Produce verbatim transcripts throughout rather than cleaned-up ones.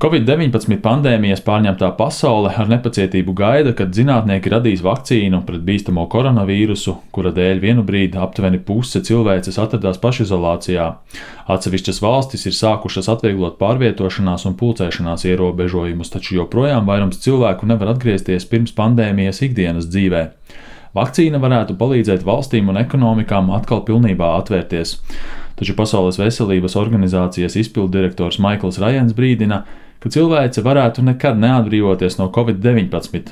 Covid deviņpadsmit pandēmijas pārņemtā pasaule ar nepacietību gaida, kad zinātnieki radīs vakcīnu pret bīstamo koronavīrusu, kura dēļ vienu brīdi aptuveni puse cilvēces atradās pašizolācijā. Atsevišķas valstis ir sākušas atvieglot pārvietošanās un pulcēšanās ierobežojumus, taču joprojām vairums cilvēku nevar atgriezties pirms pandēmijas ikdienas dzīvē. Vakcīna varētu palīdzēt valstīm un ekonomikām atkal pilnībā atvērties. Taču Pasaules veselības organizācijas izpilddirektors Maikls Rajans brīdina, ka cilvēce varētu nekad neatbrīvoties no Covid deviņpadsmit.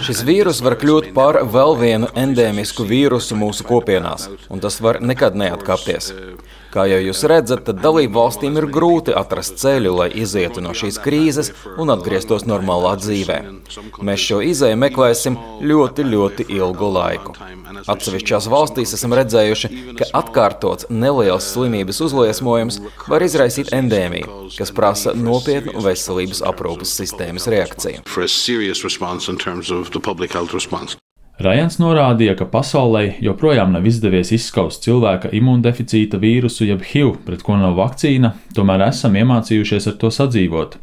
Šis vīrus var kļūt par vēl vienu endēmisku vīrusu mūsu kopienās, un tas var nekad neatkāpties. Kā jau jūs redzat, tad dalību valstīm ir grūti atrast ceļu, lai izietu no šīs krīzes un atgrieztos normālā dzīvē. Mēs šo izēju meklēsim ļoti, ļoti ilgu laiku. Atsevišķās valstīs esam redzējuši, ka atkārtots neliels slimības uzliesmojums var izraisīt endēmiju, kas prasa nopietnu veselības aprūpes sistēmas reakciju. Rajans norādīja, ka pasaulē joprojām nav izdevies izskaust cilvēka imundeficīta vīrusu jeb H I V, pret ko nav vakcīna, tomēr esam iemācījušies ar to sadzīvot.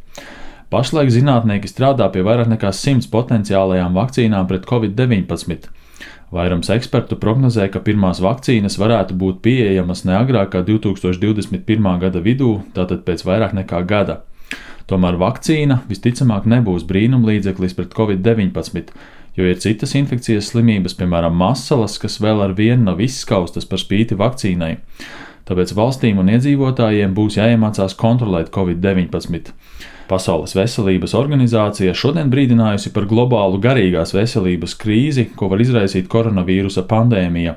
Pašlaik zinātnieki strādā pie vairāk nekā simts potenciālajām vakcīnām pret Covid deviņpadsmit. Vairums ekspertu prognozē, ka pirmās vakcīnas varētu būt pieejamas ne agrāk kā divi tūkstoši divdesmit pirmā gada vidū, tātad pēc vairāk nekā gada. Tomēr vakcīna visticamāk nebūs brīnumlīdzeklis pret Covid deviņpadsmit, jo ir citas infekcijas slimības, piemēram, masalas, kas vēl ar vienu nav izskaustas par spīti vakcīnai. Tāpēc valstīm un iedzīvotājiem būs jāiemācās kontrolēt Covid deviņpadsmit. Pasaules veselības organizācija šodien brīdinājusi par globālu garīgās veselības krīzi, ko var izraisīt koronavīrusa pandēmija.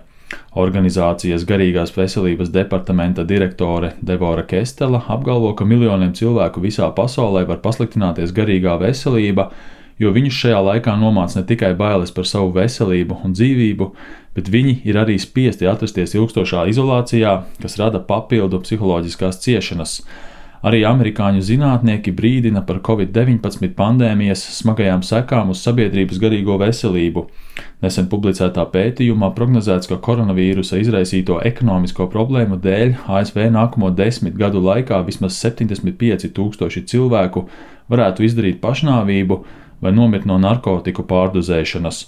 Organizācijas garīgās veselības departamenta direktore Devora Kestela apgalvo, ka miljoniem cilvēku visā pasaulē var pasliktināties garīgā veselība, jo viņus šajā laikā nomāc ne tikai bailes par savu veselību un dzīvību, bet viņi ir arī spiesti atrasties ilgstošā izolācijā, kas rada papildu psiholoģiskās ciešanas. Arī amerikāņu zinātnieki brīdina par Covid deviņpadsmit pandēmijas smagajām sekām uz sabiedrības garīgo veselību. Nesen publicētā pētījumā prognozēts, ka koronavīrusa izraisīto ekonomisko problēmu dēļ A S V nākamo desmit gadu laikā vismaz septiņdesmit pieci tūkstoši cilvēku varētu izdarīt pašnāvību vai nomirt no narkotiku pārdozēšanas.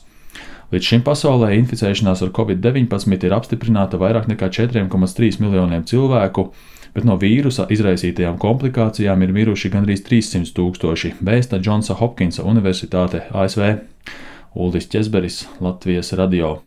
Līdz šim pasaulē inficēšanās ar Covid deviņpadsmit ir apstiprināta vairāk nekā četri komats trīs miljoniem cilvēku, bet no vīrusa izraisītajām komplikācijām ir miruši gandrīz trīssimt tūkstoši, vēsta Džonsa Hopkinsa Universitāte A S V. Uldis Ķezberis, Latvijas radio.